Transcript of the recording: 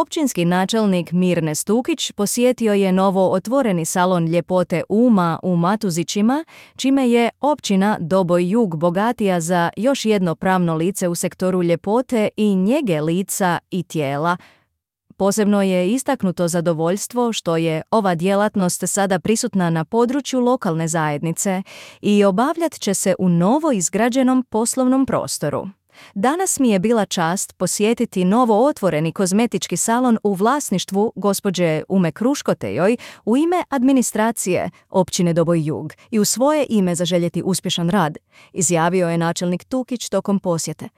Općinski načelnik Mirne Stukić posjetio je novo otvoreni salon ljepote Uma u Matuzićima, čime je općina Doboj Jug bogatija za još jedno pravno lice u sektoru ljepote i njege lica i tijela. Posebno je istaknuto zadovoljstvo što je ova djelatnost sada prisutna na području lokalne zajednice i obavljat će se u novo izgrađenom poslovnom prostoru. Danas mi je bila čast posjetiti novo otvoreni kozmetički salon u vlasništvu gospođe Ume Kruškotejoj u ime administracije općine Doboj Jug i u svoje ime zaželjeti uspješan rad, izjavio je načelnik Tukić tokom posjete.